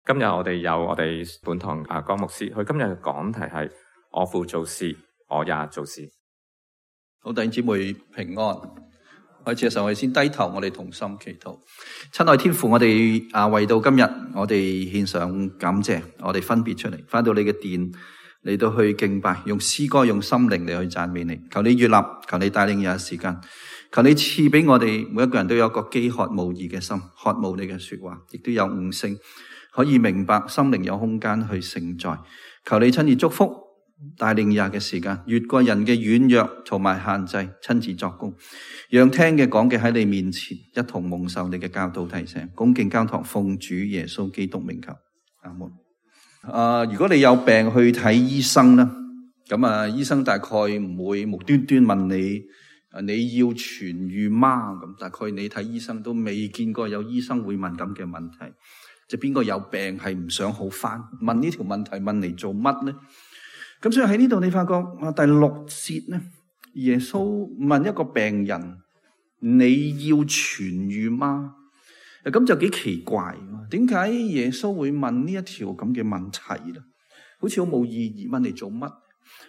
今日我哋有我哋本堂江牧師，佢今日嘅講題係我父做事，我也做事。好，弟兄姊妹平安。開始嘅時候，我哋先低頭，我哋同心祈禱。親愛天父，我哋為到今日，我哋獻上感謝，我哋分別出嚟，返到你嘅殿嚟到去敬拜，用詩歌，用心靈嚟去讚美你。求你悅納，求你帶領有時間，求你賜俾我哋每一個人都有一個飢渴慕義嘅心，渴慕你嘅說話，亦都有悟性，可以明白，心靈有空間去承載。求你親自祝福，帶領日嘅時間，越過人嘅軟弱同埋限制，親自作工，讓聽嘅講嘅喺你面前一同蒙受你嘅教導提醒。恭敬交託，奉主耶穌基督名求，阿門。如果你有病去睇醫生啦，咁醫生大概唔會無端端問你你要痊癒嗎？咁大概你睇醫生都未見過有醫生會問咁嘅問題。即係邊個有病係唔想好返？問呢條問題問嚟做乜呢？咁所以喺呢度你發覺第6節呢，耶穌問一個病人：你要痊癒嗎？咁就幾奇怪，點解耶穌會問呢一條咁嘅問題咧？好似好冇意義，問嚟做乜？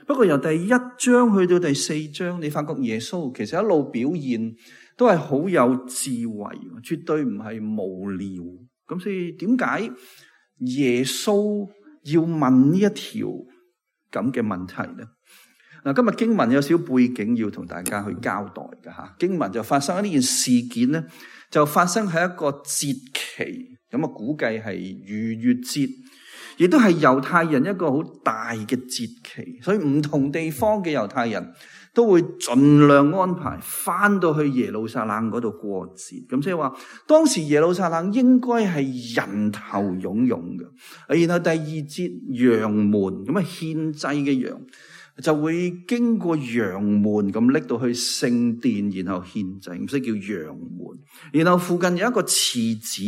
不過由第1章去到第4章，你發覺耶穌其實一路表現都係好有智慧，絕對唔係無聊。咁所以點解耶穌要問呢一條咁嘅問題呢？嗱，今日經文有少少背景要同大家去交代嘅吓。經文就發生喺呢件事件呢，就發生喺一個節期，咁估計係逾越節，亦都係猶太人一個好大嘅節期，所以唔同地方嘅猶太人都會盡量安排翻到去耶路撒冷嗰度過節。咁即係話，當時耶路撒冷應該係人頭湧湧嘅。然後第2節羊門，咁獻祭嘅羊就會經過羊門咁拎到去聖殿，然後獻祭，咁所以叫羊門。然後附近有一個池子，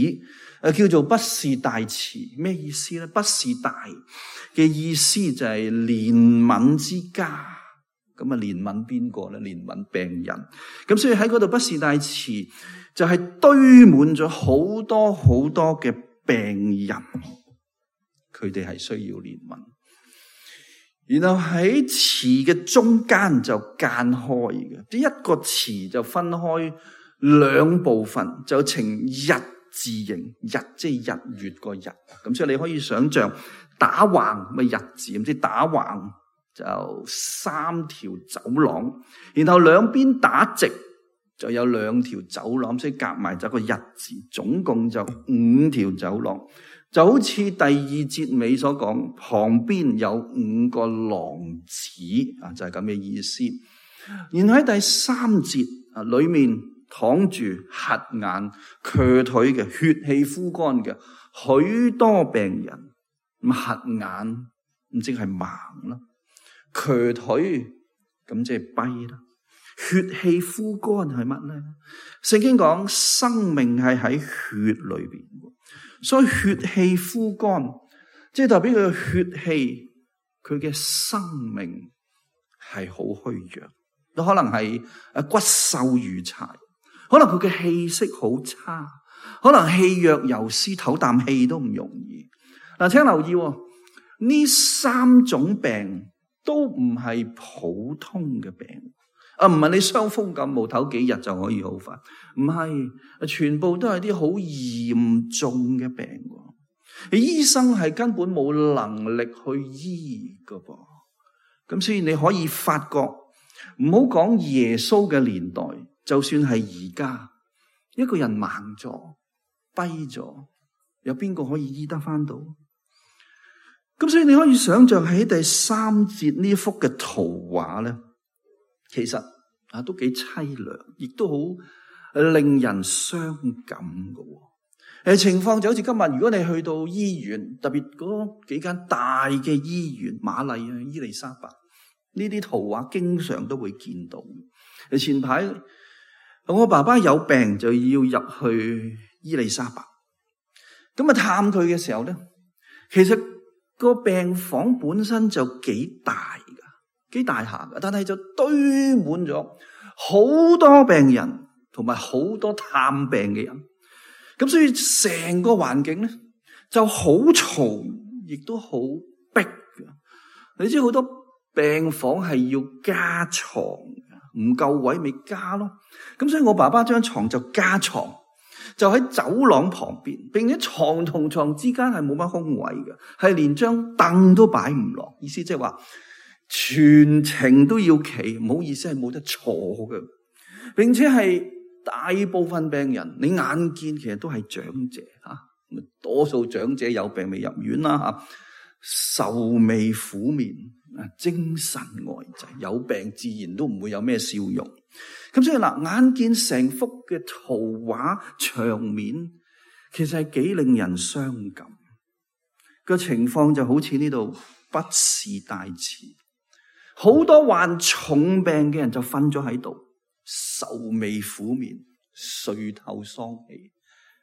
叫做畢士大池。咩意思咧？畢士大嘅意思就係憐憫之家。咁憐憫邊個咧？憐憫病人。咁所以喺嗰度畢士大池就係堆滿咗好多好多嘅病人，佢哋係需要憐憫。然後喺池嘅中間就間開嘅，即一個池就分開2部分，就呈日字形，日即係日月個日。咁所以你可以想象打橫咪日字，咁即係打橫就3條走廊，然後兩邊打直就有2條走廊，所以夾埋就個日字，總共就5條走廊。就好似第2節尾所講，旁邊有5個廊子，就係咁嘅意思。然後喺第3節裏面躺住瞎眼、瘸腿嘅、血氣枯乾嘅許多病人。咁瞎眼咁即係盲啦，瘸腿咁即係跛啦，血氣枯乾係乜咧？聖經講生命係喺血裏邊，所以血氣枯乾即係代表佢嘅血氣，佢嘅生命係好虛弱，都可能係骨瘦如柴，可能佢嘅氣息好差，可能氣若游絲，唞啖氣都唔容易。嗱，請留意呢3種病都唔係普通嘅病，唔係你傷風感冒唞幾日就可以好返，唔係，全部都係啲好嚴重嘅病。醫生係根本冇能力去醫噶噃。咁所以你可以發覺，唔好講耶穌嘅年代，就算係而家，一個人盲咗、跛咗，有邊個可以醫得返到？咁所以你可以想象喺第3節呢幅嘅圖畫咧，其實都幾淒涼，亦都好令人傷感嘅。情況就好似今日，如果你去到醫院，特別嗰幾間大嘅醫院，瑪麗啊、伊麗莎白，呢啲圖畫經常都會見到。前排我爸爸有病就要入去伊麗莎白，咁探佢嘅時候咧，其實個病房本身就幾大下噶，但係就堆滿咗好多病人同埋好多探病嘅人，咁所以成個環境咧就好嘈，亦都好逼嘅。你知好多病房係要加床，唔夠位咪加咯。咁所以我爸爸張床就加床，就喺走廊旁邊，並且床同床之間係冇乜空位嘅，係連張凳都擺唔落。意思即係話全程都要企，唔好意思係冇得坐嘅，並且係大部分病人你眼見其實都係長者吓，多數長者有病未入院啦吓，愁眉苦面，精神呆滯，有病自然都唔會有咩笑容。咁所以嗱，眼見成幅嘅圖畫場面，其實係幾令人傷感。個情況就好似呢度不是大詞，好多患重病嘅人就瞓咗喺度，愁眉苦面，垂頭喪氣。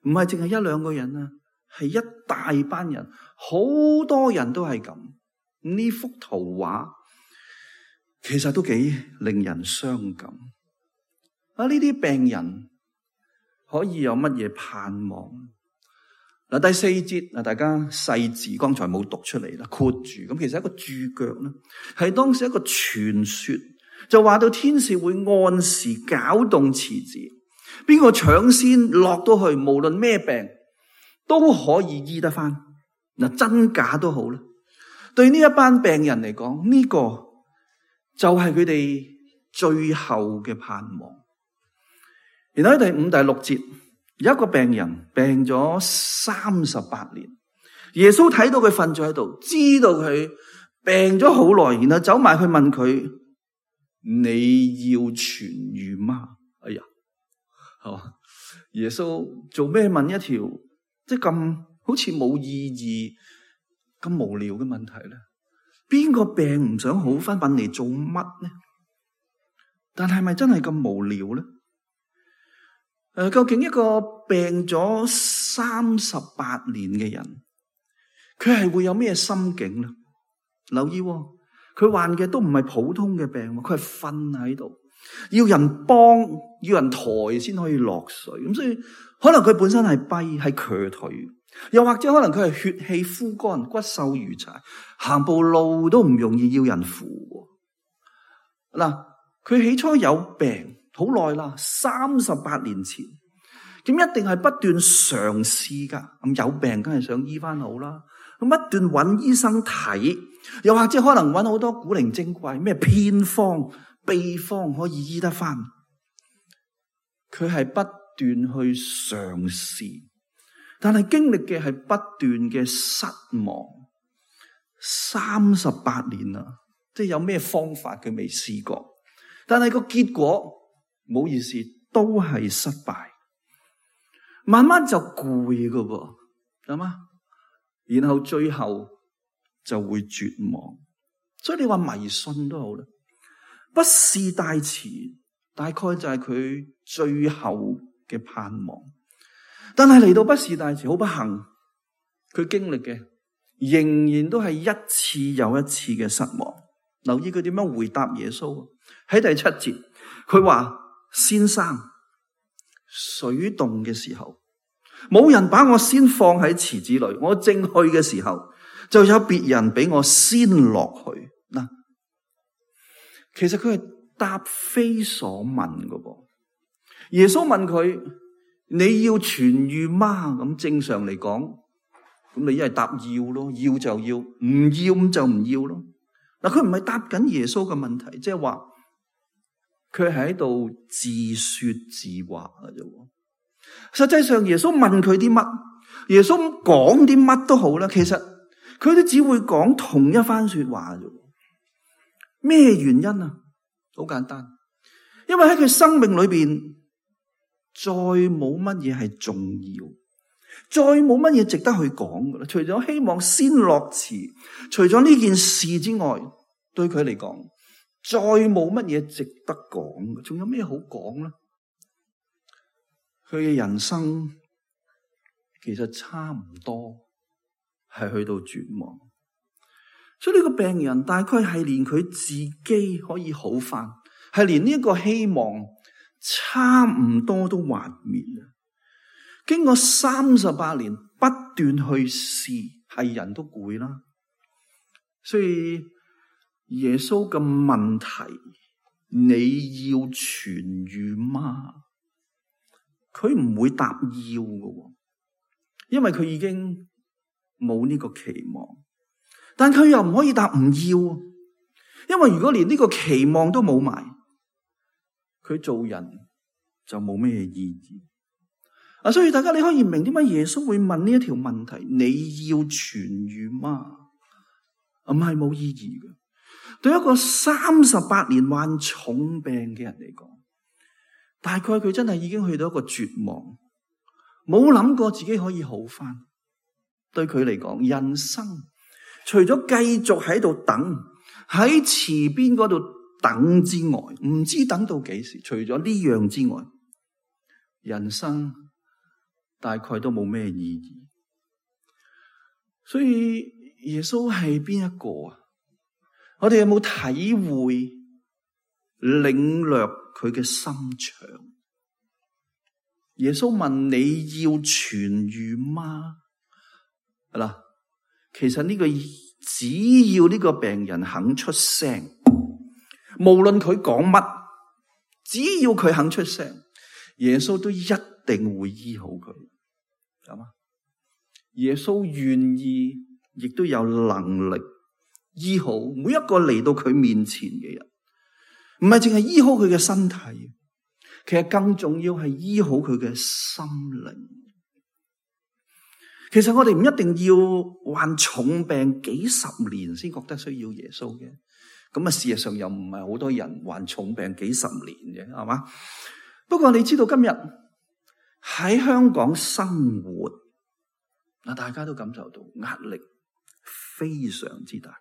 唔係淨係一兩個人啊，係一大班人，好多人都係咁。呢幅圖畫其實都幾令人傷感。呢啲病人可以有乜嘢盼望？嗱，第4節大家細字剛才冇讀出嚟啦，括住。咁其實一個注腳咧，係當時一個傳說，就話到天使會按時攪動池子，邊個搶先落到去，無論咩病都可以醫得翻。嗱，真假都好啦。對呢一班病人嚟講，呢個就係佢哋最後嘅盼望。然後喺第5、第6節，有一個病人病咗38年，耶穌睇到佢瞓咗喺度，知道佢病咗好耐，然後走埋去問佢：你要痊癒嗎？哎呀，耶穌做咩問一條即係咁好似冇意義、咁無聊嘅問題咧？邊個病唔想好翻，問嚟做乜呢？但係咪真係咁無聊咧？究竟一個病咗38年嘅人，佢係會有咩心境呢？留意，佢患嘅都唔係普通嘅病，佢係瞓喺度，要人幫，要人抬先可以落水。咁所以可能佢本身係跛，係瘸腿，又或者可能佢係血氣枯乾，骨瘦如柴，行步路都唔容易，要人扶。嗱，佢起初有病好耐啦，38年前，咁一定係不斷嘗試噶。咁有病梗係想醫翻好啦，咁不斷揾醫生睇，又或者可能揾好多古靈精怪咩偏方秘方可以醫得翻。佢係不斷去嘗試，但係經歷嘅係不斷嘅失望。38年啦，即係有咩方法佢未試過，但係個結果唔好意思，都係失敗，慢慢就攰噶噃，係嘛？然後最後就會絕望。所以你話迷信都好啦，不是大詞，大概就係佢最後嘅盼望。但係嚟到不是大詞，好不幸，佢經歷嘅仍然都係一次又一次嘅失望。留意佢點樣回答耶穌。喺第7節，佢話：先生，水動嘅時候，冇人把我先放喺池子裏，我正去嘅時候，就有別人比我先落去。嗱，其實佢係答非所問噶噃。耶穌問佢：你要痊癒嗎？咁正常嚟講，咁你一係答要咯，要就要，唔要咁就唔要咯。嗱，佢唔係答緊耶穌嘅問題，即係話佢係喺度自說自話嘅啫。實際上耶穌問佢啲乜，耶穌講啲乜都好啦，其實佢都只會講同一番說話啫。咩原因啊？好簡單，因為喺佢生命裏邊再冇乜嘢係重要，再冇乜嘢值得去講噶啦。除咗希望先落池，除咗呢件事之外，對佢嚟講，再冇乜嘢值得講。仲有咩好講咧？佢嘅人生其實差唔多係去到絕望，所以呢個病人大概係連佢自己可以好返，係連呢個希望差唔多都幻滅啦。經過38年不斷去試，係人都攰啦。所以耶穌嘅問題，你要痊癒嗎？佢唔會答要嘅，因為佢已經冇呢個期望。但佢又唔可以答唔要，因為如果連呢個期望都冇埋，佢做人就冇咩意義。所以大家你可以明點解耶穌會問呢一條問題，你要痊癒嗎？唔係冇意義嘅。對一個38年患重病嘅人嚟講，大概佢真係已經去到一個絕望，冇諗過自己可以好返。對佢嚟講，人生除咗繼續喺度等，喺池邊嗰度等之外，唔知等到幾時。除咗呢樣之外，人生大概都冇咩意義。所以耶穌係邊一個啊？我哋有冇體會領略佢嘅心腸？耶穌問你要痊癒嗎？係啦，其實呢個只要呢個病人肯出聲，無論佢講乜，只要佢肯出聲，耶穌都一定會醫好佢。係嘛？耶穌願意，亦都有能力醫好每一個嚟到佢面前嘅人，唔係淨係醫好佢嘅身體，其實更重要係醫好佢嘅心靈。其實我哋唔一定要患重病幾十年先覺得需要耶穌嘅，咁事實上又唔係好多人患重病幾十年嘅，係嘛？不過你知道今日喺香港生活，大家都感受到壓力非常之大，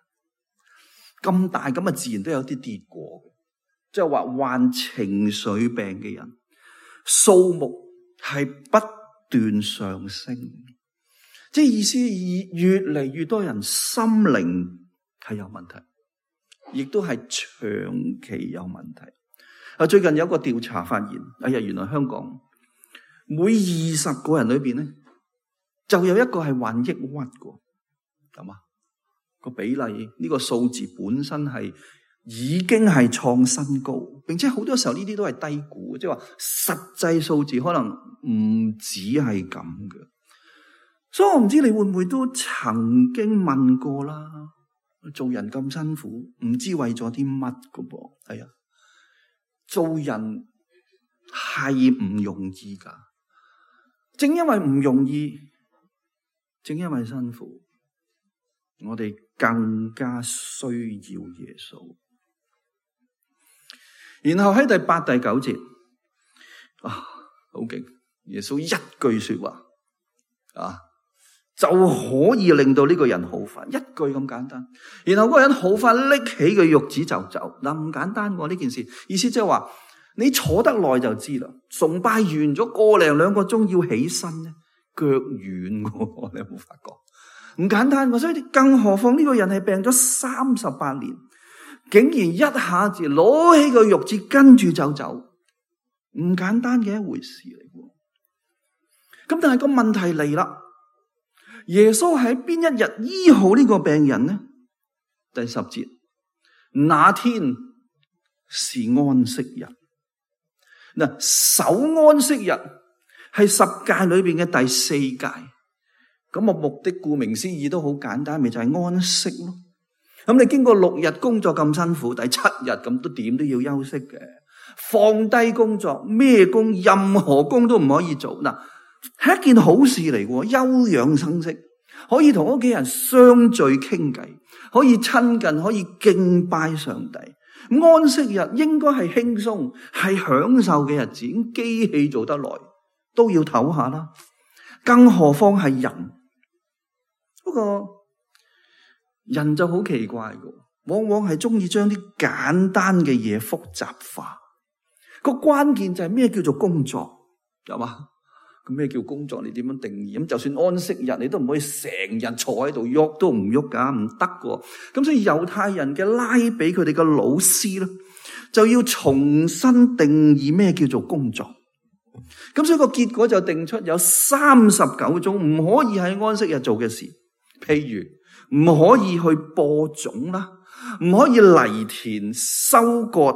咁大咁自然都有啲跌過嘅，即係話患情緒病嘅人數目係不斷上升，即係意思越嚟越多人心靈係有問題，亦都係長期有問題。最近有一個調查發現，原來香港每20個人裏邊咧，就有一個係患抑鬱嘅，咁個比例呢個數字本身係已經係創新高，並且好多時候呢啲都係低估，即係話實際數字可能唔止係咁嘅。所以我唔知你會唔會都曾經問過啦，做人咁辛苦，唔知為咗啲乜㗎噃？係啊，做人係唔容易噶，正因為唔容易，正因為辛苦，我哋更加需要耶穌。然後喺第8、第9節，好勁！耶穌一句說話，就可以令到呢個人好返，一句咁簡單。然後嗰個人好返，拎起個褥子就走。唔簡單喎呢件事，意思即係話你坐得耐就知啦。崇拜完咗1零2個鐘要起身咧，腳軟喎，你有冇發覺？唔簡單喎，所以更何況呢個人係病咗38年，竟然一下子攞起個褥子跟住就走，唔簡單嘅一回事嚟喎。咁但係個問題嚟啦。耶穌喺邊一日醫好呢個病人呢？第10節，那天是安息日。守安息日係10誡裏邊嘅第4誡。咁目的顧名思義都好簡單，咪就係安息咯。咁你經過6日工作咁辛苦，第7日咁都點都要休息嘅。放低工作，咩工，任何工都唔可以做。係一件好事嚟嘅，休養生息，可以同屋企人相聚傾偈，可以親近，可以敬拜上帝。安息日應該係輕鬆，係享受嘅日子。機器做得耐都要唞下啦，更何況係人。不過人就好奇怪嘅，往往係中意將啲簡單嘅嘢複雜化。個關鍵就係咩叫做工作，係嘛？咁咩叫工作？你點樣定義？咁就算安息日，你都唔可以成日坐喺度喐都唔喐噶，唔得噶。咁所以猶太人嘅拉比佢哋嘅老師咧，就要重新定義咩叫做工作。咁所以個結果就定出有39種唔可以喺安息日做嘅事，譬如唔可以去播種啦，唔可以犁田、收割、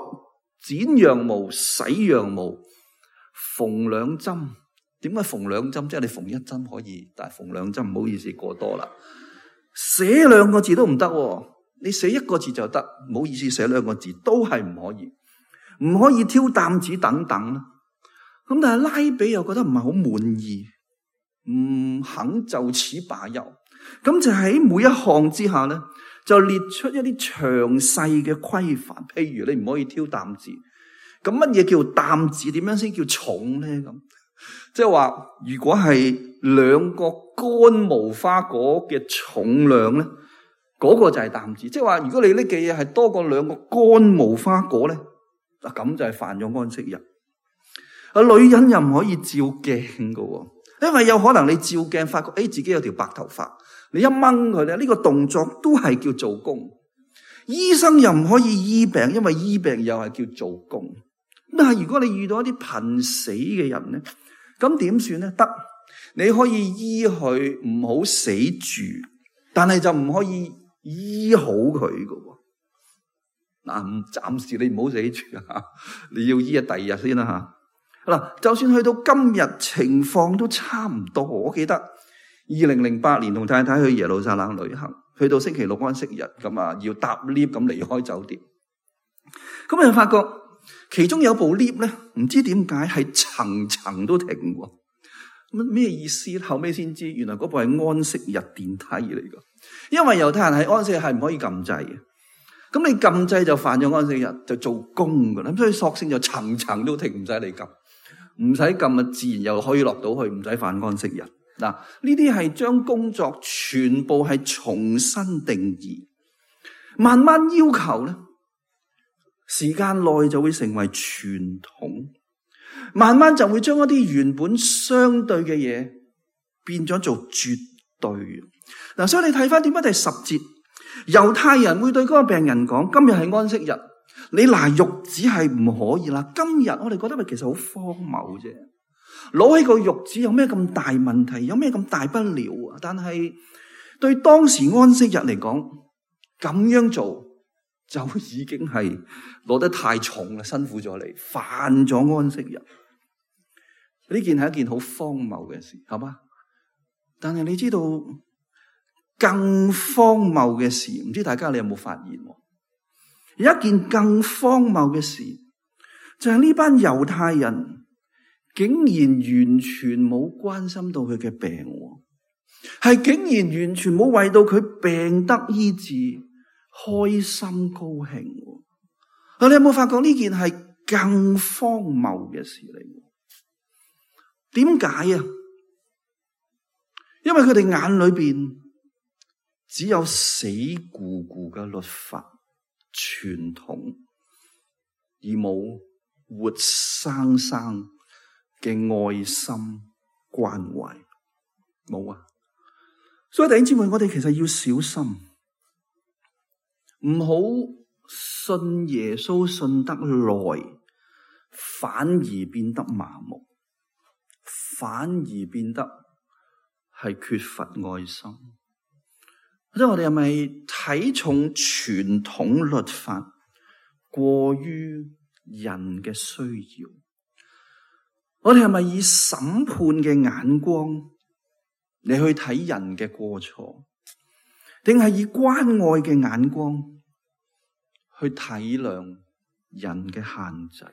剪羊毛、洗羊毛、縫兩針。點解縫兩針？即係你縫一針可以，但係縫兩針唔好意思過多啦。寫2個字都唔得，你寫1個字就得，唔好意思寫2個字都係唔可以，唔可以挑擔子等等啦。咁但係拉比又覺得唔係好滿意，唔肯就此罷休。咁就喺每一項之下咧，就列出一啲詳細嘅規範。譬如你唔可以挑擔子，咁乜嘢叫擔子？點樣先叫重咧？咁即係話，如果係2個乾無花果嘅重量咧，嗰個就係擔子。即係話，如果你拎嘅嘢係多過2個乾無花果咧，嗱咁就係犯咗安息日。女人又唔可以照鏡噶，因為有可能你照鏡發覺，自己有條白頭髮，你一掹佢咧，呢個動作都係叫做工。醫生又唔可以醫病，因為醫病又係叫做工。但係如果你遇到一啲瀕死嘅人咧，咁點算咧？得，你可以醫佢唔好死住，但係就唔可以醫好佢噶。嗱，暫時你唔好死住啊，你要醫第2日先啦吓。嗱，就算去到今日情況都差唔多。我記得2008年同太太去耶路撒冷旅行，去到星期6安息日咁啊，要搭 lift 咁離開酒店。咁就發覺其中有部 lift 咧，唔知點解係層層都停喎。咁咩意思？後尾先知，原來嗰部係安息日電梯嚟噶。因為猶太人喺安息日係唔可以撳掣嘅。咁你撳掣就犯咗安息日，就做工噶啦。咁所以索性就層層都停，唔使你撳。唔使撳啊，自然又可以落到去，唔使犯安息日。嗱，呢啲係將工作全部係重新定義，慢慢要求咧，時間內就會成為傳統，慢慢就會將一啲原本相對嘅嘢變咗做絕對。嗱，所以你睇翻點解第10節，猶太人會對嗰個病人講：今日係安息日。你拿褥子係唔可以啦。今日我哋覺得咪其實好荒謬啫，攞起個褥子有咩咁大問題？有咩咁大不了啊？但係對當時安息日嚟講，咁樣做就已經係攞得太重啦，辛苦咗你，犯咗安息日。呢件係一件好荒謬嘅事，係嘛？但係你知道更荒謬嘅事，唔知大家你有冇發現？有一件更荒謬嘅事，就係呢班猶太人竟然完全冇關心到佢嘅病，係竟然完全冇為到佢病得醫治開心高興。你有冇發覺呢件係更荒謬嘅事嚟？點解啊？因為佢哋眼裏邊只有死咕咕嘅律法傳統，而冇活生生嘅愛心關懷，冇啊！所以弟兄姊妹，我哋其實要小心，唔好信耶穌信得耐，反而變得麻木，反而變得係缺乏愛心。即係我哋係咪睇重傳統律法過於人嘅需要？我哋係咪以審判嘅眼光嚟去睇人嘅過錯，定係以關愛嘅眼光去體諒人嘅限制？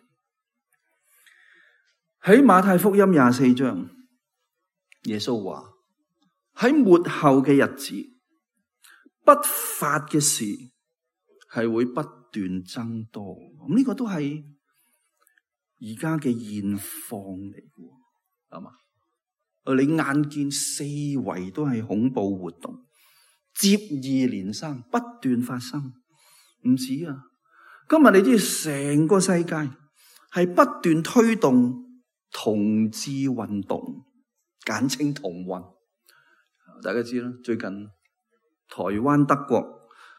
喺馬太福音24章，耶穌話喺末後嘅日子，不法嘅事係會不斷增多，咁呢個都係而家嘅現況嚟嘅，係嘛？你眼見四圍都係恐怖活動，接二連三，不斷發生，唔止啊！今日你知成個世界係不斷推動同志運動，簡稱同運，大家知啦，最近台灣、德國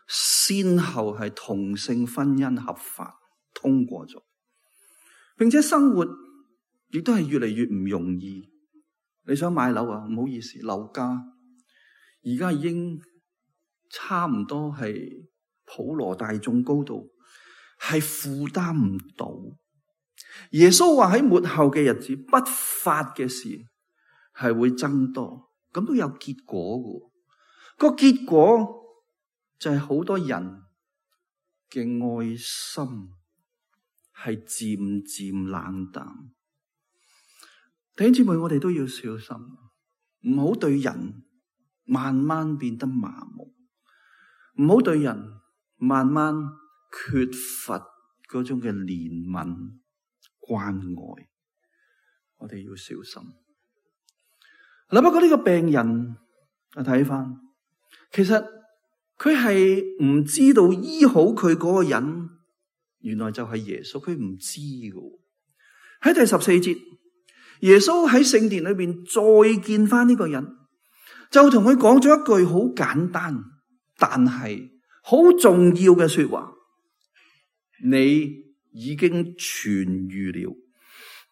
先後係同性婚姻合法通過咗，並且生活亦都係越嚟越唔容易。你想買樓啊？唔好意思，樓價而家已經差唔多係普羅大眾高度，係負擔唔到。耶穌話喺末後嘅日子，不法嘅事係會增多，咁都有結果嘅。個結果就係好多人嘅愛心係漸漸冷淡。弟兄姊妹，我哋都要小心，唔好對人慢慢變得麻木，唔好對人慢慢缺乏嗰種嘅憐憫關愛。我哋要小心。嗱，不過呢個病人我睇翻，其實佢係唔知道醫好佢嗰個人原來就係耶穌，佢唔知㗎。喺第14節，耶穌喺聖殿裏邊再見翻呢個人，就同佢講咗一句好簡單但係好重要嘅說話：你已經痊癒了，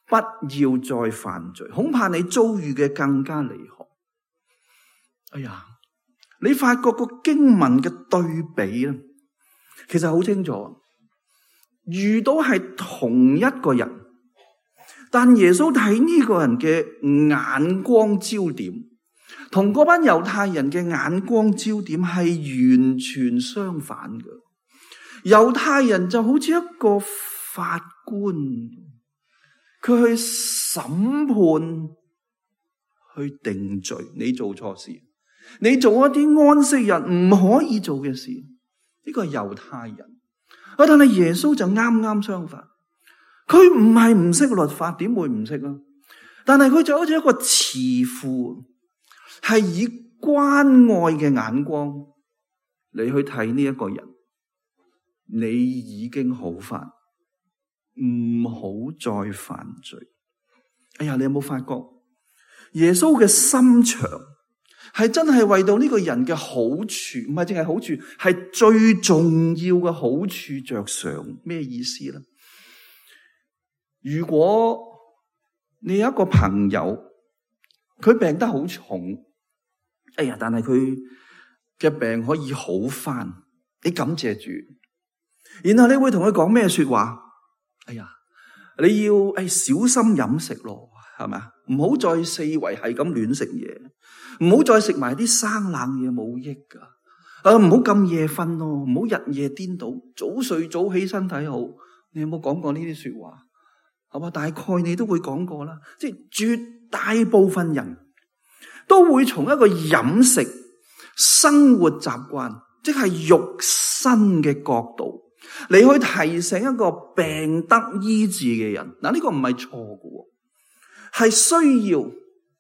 不要再犯罪，恐怕你遭遇嘅更加厲害。哎呀，你發覺個經文嘅對比咧，其實好清楚。遇到係同一個人，但耶穌睇呢個人嘅眼光焦點，同嗰班猶太人嘅眼光焦點係完全相反嘅。猶太人就好似一個法官，佢去審判、去定罪。你做錯事，你做一啲安息日唔可以做嘅事，呢個係猶太人。但係耶穌就啱啱相反，佢唔係唔識律法，點會唔識啊？但係佢就好似一個慈父，係以關愛嘅眼光你去睇呢一個人。你已經好返，唔好再犯罪。哎呀，你有冇發覺耶穌嘅心腸係真係為到呢個人嘅好處，唔係淨係好處，係最重要嘅好處着想。咩意思呢？如果你有一個朋友，佢病得好重，哎呀，但係佢嘅病可以好返，你感謝主，然後你會同佢講咩說話？哎呀，你要小心飲食咯，係咪啊？唔好再四圍係咁亂食嘢，唔好再食埋啲生冷嘢，冇益噶。唔好咁夜瞓咯，唔好日夜顛倒，早睡早起身體好。你有冇講過呢啲說話？係嘛？大概你都會講過啦。即係絕大部分人都會從一個飲食、生活習慣，即係肉身嘅角度，你去提醒一個病得醫治嘅人。嗱，呢個唔係錯嘅，係需要，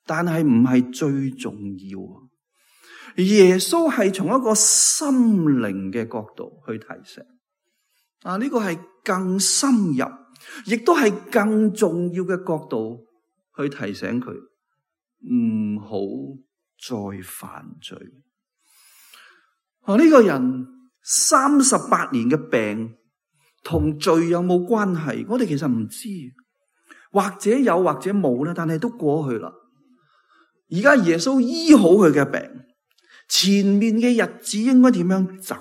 但係唔係最重要。耶穌係從一個心靈嘅角度去提醒。呢個係更深入，亦都係更重要嘅角度去提醒佢，唔好再犯罪。呢個人38年嘅病同罪有冇關係？我哋其實唔知，或者有或者冇啦，但係都過去啦。而家耶穌醫好佢嘅病，前面嘅日子應該點樣走？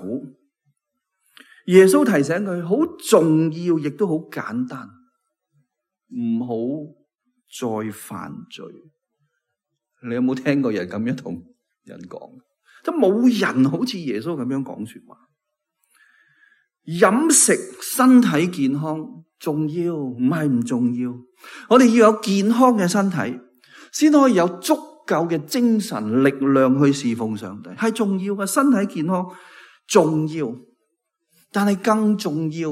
耶穌提醒佢好重要，亦都好簡單，唔好再犯罪。你有冇聽過人咁樣同人講？即係冇人好似耶穌咁樣講說話。飲食身體健康重要，唔係唔重要。我哋要有健康嘅身體，先可以有足夠嘅精神力量去侍奉上帝，係重要嘅。身體健康重要，但係更重要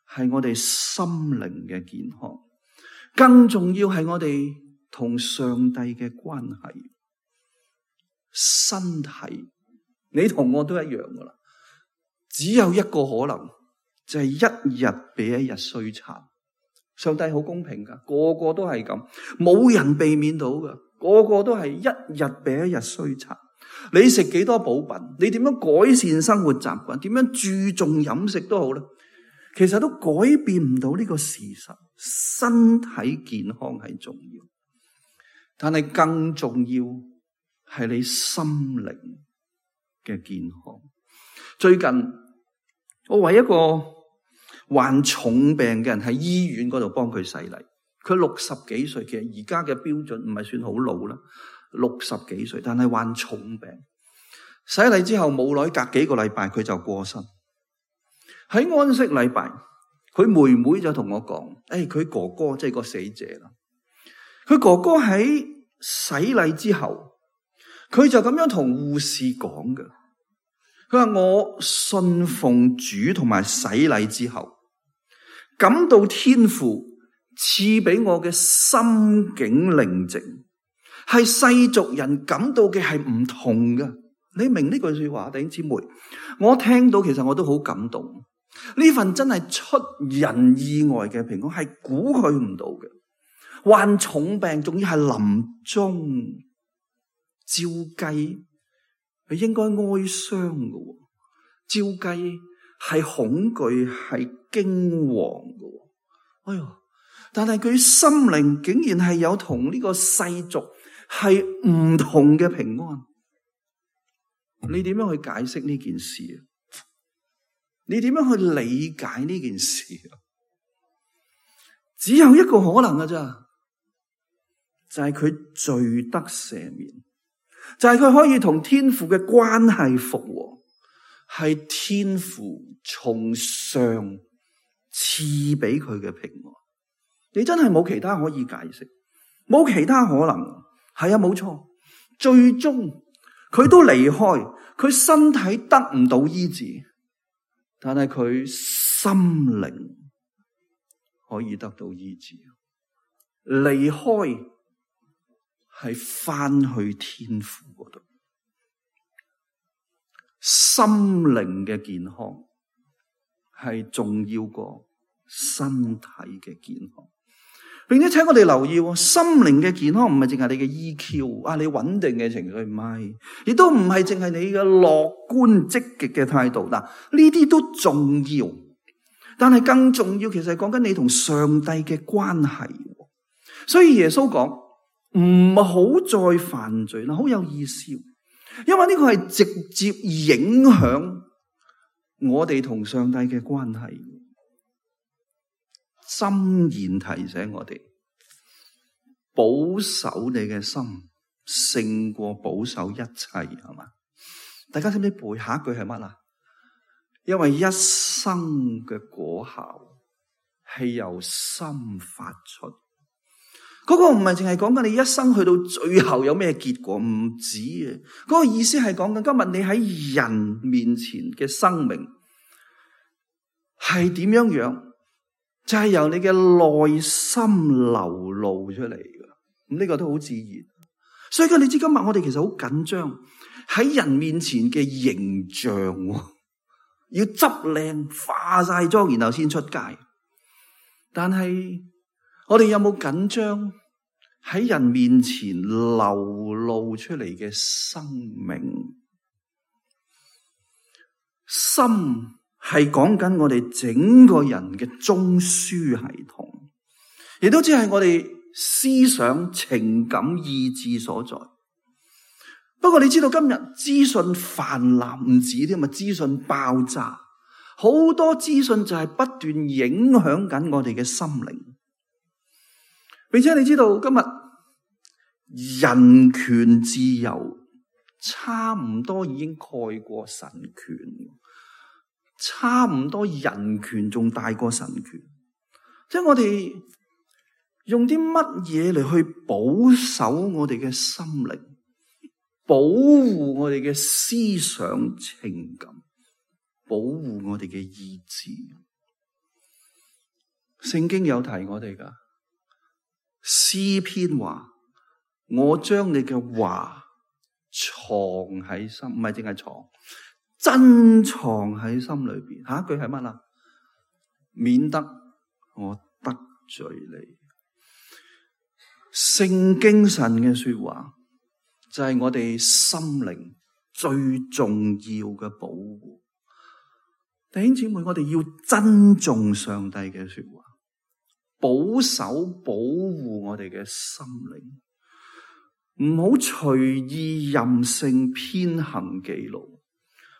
係我哋心靈嘅健康，更重要係我哋同上帝嘅關係。身體，你同我都一樣噶啦，只有一個可能，就係一日比一日衰殘。上帝好公平噶，個個都係咁，冇人避免到噶，個個都係一日比一日衰殘。你食幾多補品，你點樣改善生活習慣，點樣注重飲食都好啦，其實都改變唔到呢個事實。身體健康係重要，但係更重要係你心靈嘅健康。最近我為一個患重病嘅人喺醫院嗰度幫佢洗禮，佢60幾歲，其實而家嘅標準唔係算好老啦，60幾歲，但係患重病。洗禮之後冇耐，隔幾個禮拜佢就過身。喺安息禮拜，佢妹妹就同我講，佢哥哥即係個死者啦。佢哥哥喺洗禮之後，佢就咁樣同護士講嘅。佢話我信奉主同埋洗禮之後，感到天父賜俾我嘅心境寧靜，係世俗人感到嘅係唔同嘅。你明呢句說話，弟兄姊妹？我聽到其實我都好感動。呢份真係出人意外嘅平安，係估佢唔到嘅。患重病，仲要係臨終，照計佢應該哀傷嘅，照計係恐懼，係驚惶嘅。哎喲！但係佢心靈竟然係有同呢個世俗係唔同嘅平安。你點樣去解釋呢件事啊？你點樣去理解呢件事啊？只有一個可能㗎咋，就係佢罪得赦免，就係佢可以同天父嘅關係復和，係天父從上賜俾佢嘅平安。你真係冇其他可以解釋，冇其他可能。係啊，冇錯，最終佢都離開，佢身體得唔到醫治，但係佢心靈可以得到醫治。離開係翻去天父嗰度，心靈嘅健康係重要過身體嘅健康。並且請我哋留意，心靈嘅健康唔係淨係你嘅 EQ 啊，你穩定嘅情緒唔係，亦都唔係淨係你嘅樂觀積極嘅態度。嗱，呢啲都重要，但係更重要，其實係講緊你同上帝嘅關係。所以耶穌講唔好再犯罪啦，好有意思，因為呢個係直接影響我哋同上帝嘅關係。箴言提醒我哋，保守你嘅心勝過保守一切，係嘛？大家識唔識背下一句係乜啊？因為一生嘅果效係由心發出。嗰個唔係淨係講緊你一生去到最後有咩結果，唔止嘅。嗰個意思係講緊今日你喺人面前嘅生命係點樣樣。就係由你嘅內心流露出嚟嘅，咁呢個都好自然。所以你知今日我哋其實好緊張喺人面前嘅形象，要執靚化晒妝，然後先出街。但係我哋有冇緊張喺人面前流露出嚟嘅生命？心係講緊我哋整個人嘅中樞系統，亦都只係我哋思想、情感、意志所在。不過你知道今日資訊泛濫唔止添啊，資訊爆炸，好多資訊就係不斷影響緊我哋嘅心靈。並且你知道今日人權自由差唔多已經蓋過神權。差唔多人權仲大過神權，即係我哋用啲乜嘢嚟去保守我哋嘅心靈，保護我哋嘅思想情感，保護我哋嘅意志。聖經有提我哋噶，詩篇話：我將你嘅話藏喺心，唔係淨係藏。珍藏喺心裏邊。下一句係乜啊？免得我得罪你。聖經神嘅說話就係我哋心靈最重要嘅保護。弟兄姊妹，我哋要珍重上帝嘅說話，保守保護我哋嘅心靈，唔好隨意任性偏行己路，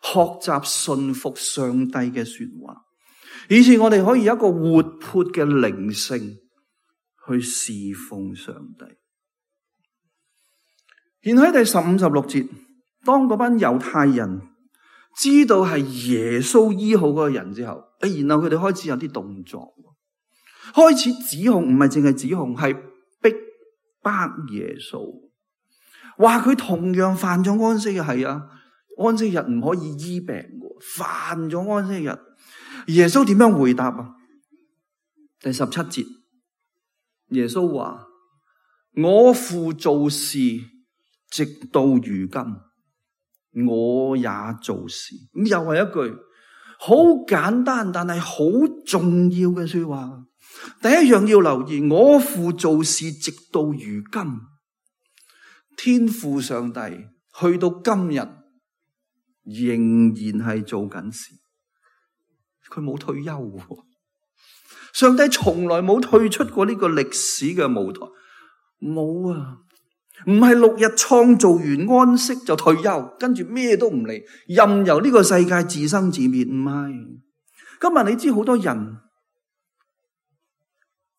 學習順服上帝嘅說話，以致我哋可以有一個活潑嘅靈性去侍奉上帝。然後喺第15、16節，當嗰班猶太人知道係耶穌醫好嗰個人之後，然後佢哋開始有啲動作，開始指控，唔係淨係指控，係逼迫耶穌，話佢同樣犯咗安息日。係啊，安息日唔可以醫病嘅，犯咗安息日。耶穌點樣回答啊？第17節，耶穌話：我父做事直到如今，我也做事。咁又係一句好簡單但係好重要嘅說話。第一樣要留意，我父做事直到如今，天父上帝去到今日仍然係做緊事，佢冇退休。上帝從來冇退出過呢個歷史嘅舞台，冇啊！唔係6日創造完安息就退休，跟住咩都唔理，任由呢個世界自生自滅。唔係，今日你知好多人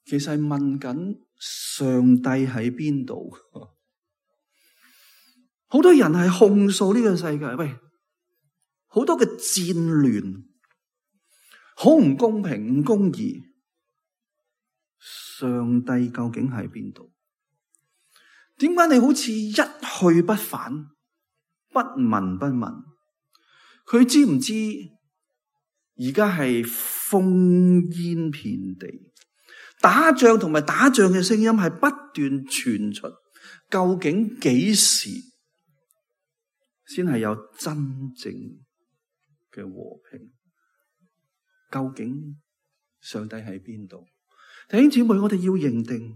其實係問緊上帝喺邊度？好多人係控訴呢個世界，喂，好多嘅戰亂，好唔公平、唔公義。上帝究竟喺邊度？點解你好似一去不返，不聞不問？佢知唔知而家係烽煙遍地，打仗同埋打仗嘅聲音係不斷傳出？究竟幾時先係有真正嘅和平？究竟上帝喺邊度？弟兄姊妹，我哋要認定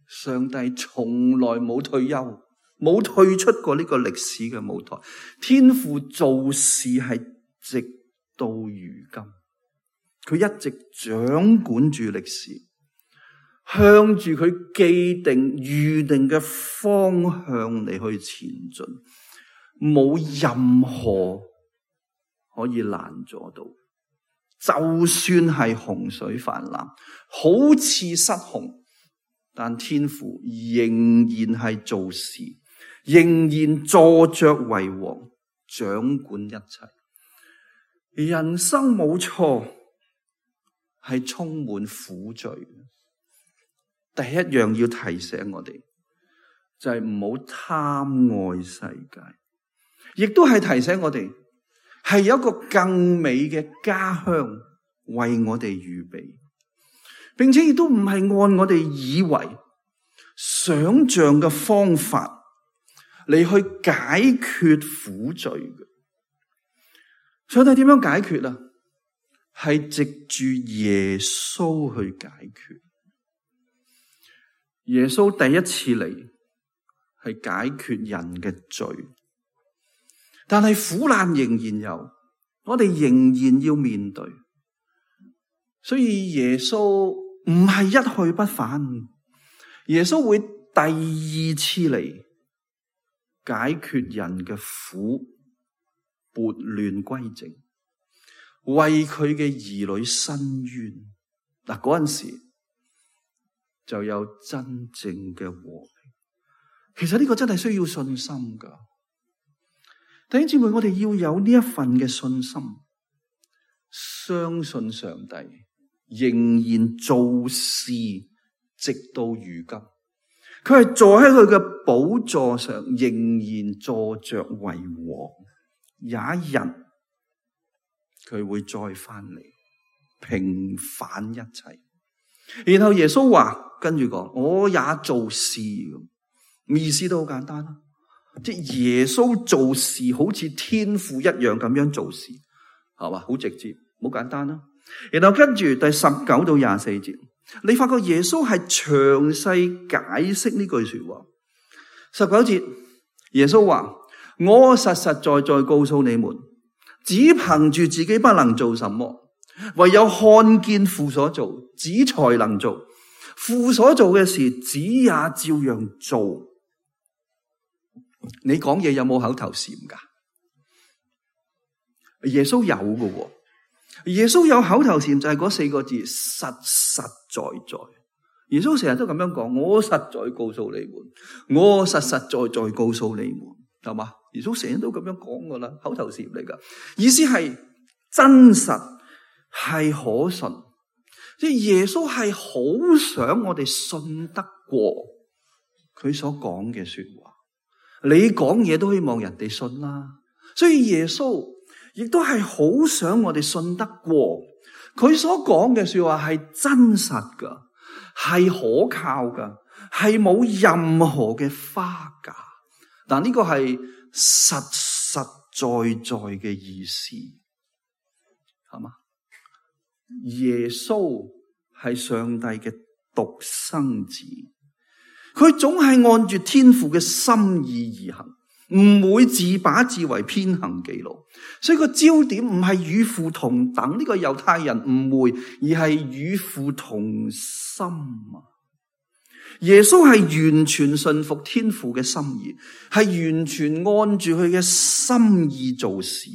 上帝從來冇退休，冇退出過呢個歷史嘅舞台。天父做事係直到如今，佢一直掌管住歷史，向住佢既定預定嘅方向嚟去前進，冇任何可以攔阻到。就算係洪水泛濫，好似失控，但天父仍然係做事，仍然坐着為王，掌管一切。人生冇錯，係充滿苦罪。第一樣要提醒我哋，就係唔好貪愛世界，亦都係提醒我哋，係有一個更美嘅家鄉為我哋預備，並且亦都唔係按我哋以為想象嘅方法嚟去解決苦罪嘅。上帝點樣解決啊？係藉住耶穌去解決。耶穌第一次嚟係解決人嘅罪。但係苦難仍然有，我哋仍然要面對。所以耶穌唔係一去不返，耶穌會第二次嚟解決人嘅苦，撥亂歸正，為佢嘅兒女伸冤。嗱，嗰陣時就有真正嘅和平。其實呢個真係需要信心噶。弟兄姊妹，我哋要有呢一份嘅信心，相信上帝仍然做事直到如今。佢係坐喺佢嘅寶座上，仍然坐着為王。有一日佢會再翻嚟平反一切。然後耶穌話，跟住講，我也做事。意思都好簡單啦。即係耶穌做事好似天父一樣咁樣做事，係嘛？好直接，好簡單啦。然後跟住第19到24節，你發覺耶穌係詳細解釋呢句說話。19節，耶穌話：我實實在在告訴你們，只憑住自己不能做什麼，唯有看見父所做，子才能做。父所做嘅事，子也照樣做。你講嘢有冇口頭禪噶？耶穌有嘅。耶穌有口頭禪就係嗰4個字，實實在在。耶穌成日都咁樣講，我實在告訴你們，我實實在在告訴你們，係嘛？耶穌成日都咁樣講噶啦，口頭禪嚟噶，意思係真實，係可信。即係耶穌係好想我哋信得過佢所講嘅說話。你講嘢都希望人哋信啦，所以耶穌亦都係好想我哋信得過佢所講嘅說話係真實噶，係可靠噶，係冇任何嘅花假。但呢個係實實在在嘅意思，係嘛？耶穌係上帝嘅獨生子，佢總係按住天父嘅心意而行，唔會自把自為偏行己路。所以個焦點唔係與父同等，呢個猶太人誤會，而係與父同心啊！耶穌係完全信服天父嘅心意，係完全按住佢嘅心意做事。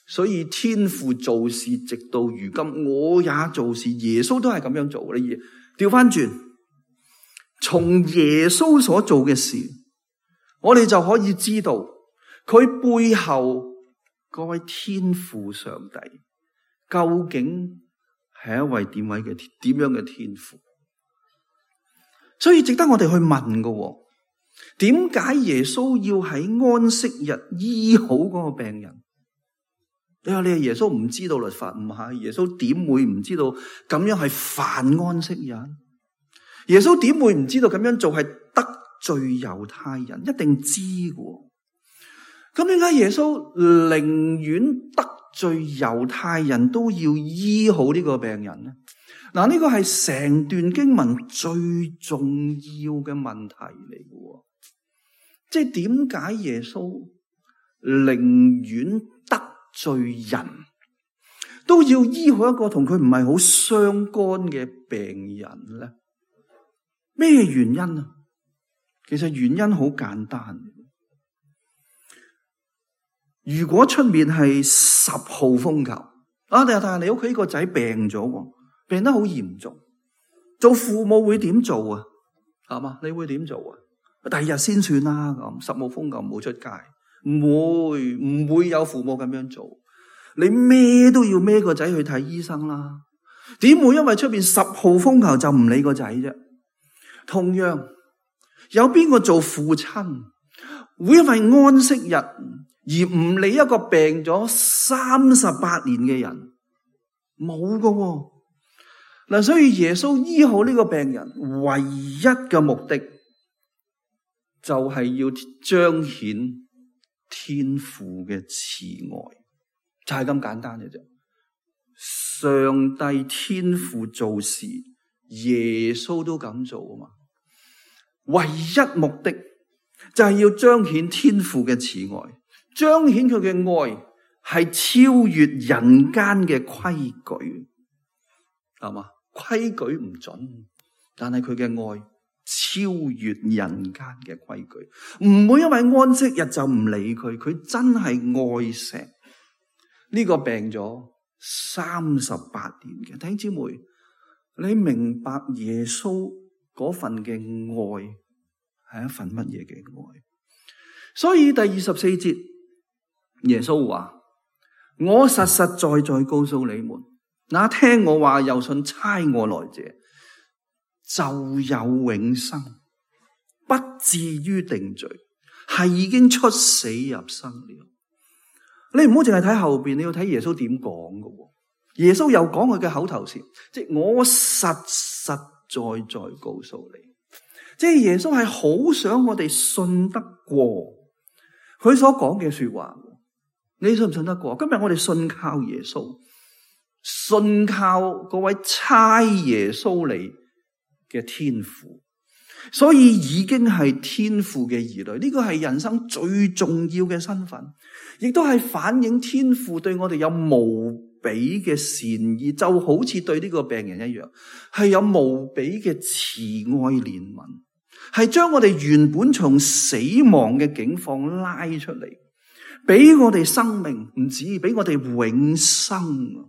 所以天父做事直到如今，我也做事。耶穌都係咁樣做。你調翻轉，從耶穌所做嘅事，我哋就可以知道佢背後嗰位天父上帝究竟係一位點樣嘅天父。所以值得我哋去問嘅，點解耶穌要喺安息日醫好嗰個病人？你話耶穌唔知道律法？唔係，耶穌點會唔知道咁樣係犯安息日？耶穌點會唔知道咁樣做係得罪猶太人？一定知嘅。咁點解耶穌寧願得罪猶太人都要醫好呢個病人呢？嗱，呢個係成段經文最重要嘅問題嚟嘅。即係點解耶穌寧願得罪人都要醫好一個同佢唔係好相干嘅病人咧？咩原因啊？其實原因好簡單。如果出面係10號風球啊，但係你屋企個仔病咗，病得好嚴重，做父母會點做啊？係嘛？你會點做啊？第二日先算啦。咁10號風球唔好出街，唔會有父母咁樣做。你咩都要孭個仔去睇醫生啦。點會因為出邊10號風球就唔理個仔啫？同樣，有邊個做父親會因為安息日而唔理一個病咗38年嘅人？冇㗎。嗱，所以耶穌醫好呢個病人唯一嘅目的就係要彰顯天父嘅慈愛，就係咁簡單嘅啫。上帝天父做事，耶穌都咁做啊嘛。唯一目的就係要彰顯天父嘅慈愛，彰顯佢嘅愛係超越人間嘅規矩，係嘛？規矩唔準，但係佢嘅愛超越人間嘅規矩，唔會因為安息日就唔理佢，佢真係愛錫呢個病咗38年嘅弟兄姊妹。你明白耶穌嗰份嘅愛係一份乜嘢嘅愛？所以第24節耶穌話：我實實在在告訴你們，那聽我話又信差我來者，就有永生，不至於定罪，係已經出死入生了。你唔好淨係睇後邊，你要睇耶穌點講㗎。耶穌又講佢嘅口頭禪，即係我實實在在告訴你，即係耶穌係好想我哋信得過佢所講嘅說話。你信唔信得過？今日我哋信靠耶穌，信靠嗰位差耶穌嚟嘅天父，所以已經係天父嘅兒女。呢個係人生最重要嘅身份，亦都係反映天父對我哋有無比嘅善意，就好似對呢個病人一樣，係有無比嘅慈愛憐憫，係將我哋原本從死亡嘅境況拉出嚟，俾我哋生命，唔止俾我哋永生。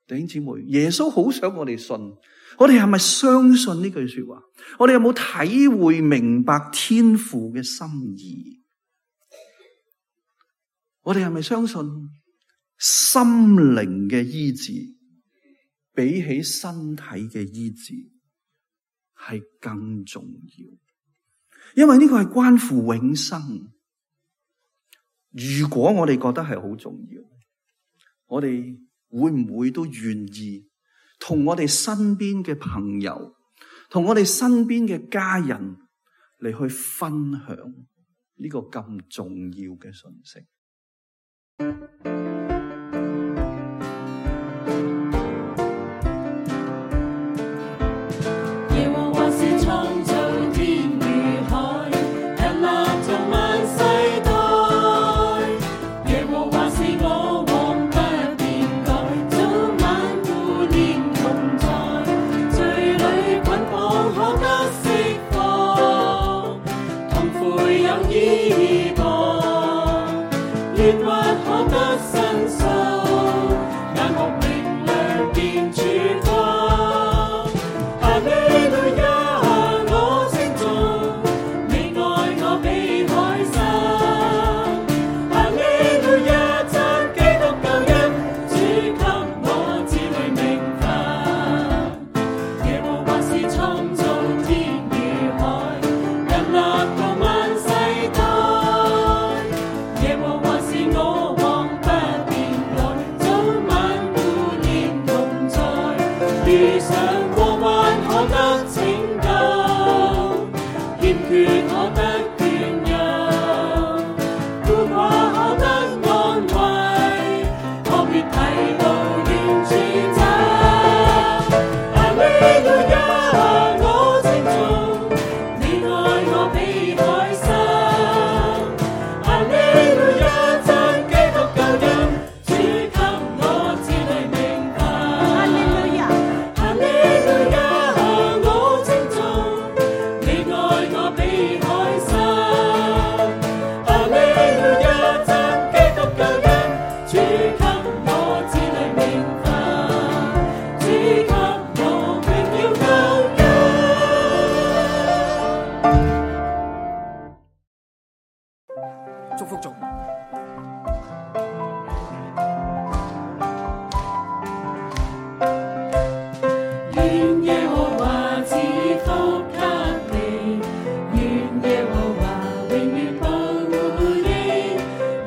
弟兄姊妹，耶穌好想我哋信，我哋係咪相信呢句說話？我哋有冇體會明白天父嘅心意？我哋係咪相信心靈嘅醫治比起身體嘅醫治係更重要？因為呢個係關乎永生。如果我哋覺得係好重要，我哋會唔會都願意同我哋身邊嘅朋友，同我哋身邊嘅家人嚟去分享呢個咁重要嘅信息？耶和華是創造天與海，屹立從萬世代。耶和華是我王不變改，早晚顧念同在。罪裏捆綁可得釋放，痛悔有依傍，冤屈可得申訴，眼目明亮見曙光。哈利路亞，我稱頌，你愛我比海深。哈利路亞，讚基督救恩，主給我子女名分。耶和華是創造天與海，屹立到萬世代。耶和華是我王不變改，早晚顧念同在。遇上禍患可得拯救，欠缺可得眷佑，孤寡可得安慰，我別提到遠處走。哈利路亞，我稱頌，你愛我比海深。哈利路亞，讚基督救恩，主給我子女名分。哈利路亞，哈利路亞，我稱頌，你愛我比海深。哈利路亞，讚基督救恩，主給我子女名分，主給我榮耀救恩。祝福組。願耶和華賜福給你，願耶和華永遠保護你，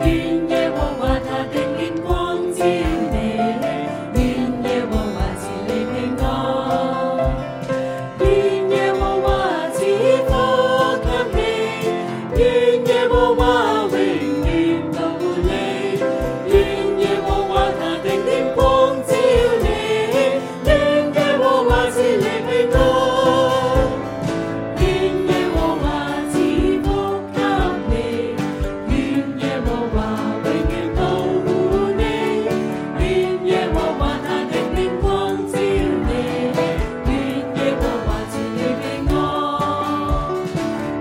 願耶和華他的臉光照你，願耶和華賜你平安，願耶和華賜福給你，願耶和華永遠保護你，願耶和華他的臉光照你，願耶和華賜你平安，願耶和華賜福給你，願耶和華永遠保護你，願耶和華他的臉光照你，願耶和華賜你平安，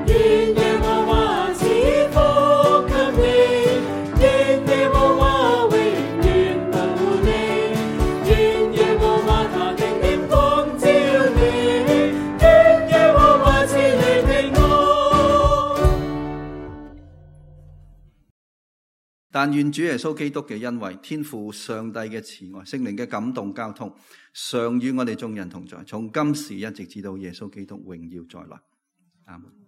願耶和華賜福給你，願耶和華永遠保護你，願耶和華他的臉光照你，願耶和華賜你平安。但願主耶穌基督嘅恩惠、天父上帝嘅慈愛、聖靈嘅感動交通，常與我哋眾人同在，從今時一直至到耶穌基督榮耀再來。阿門。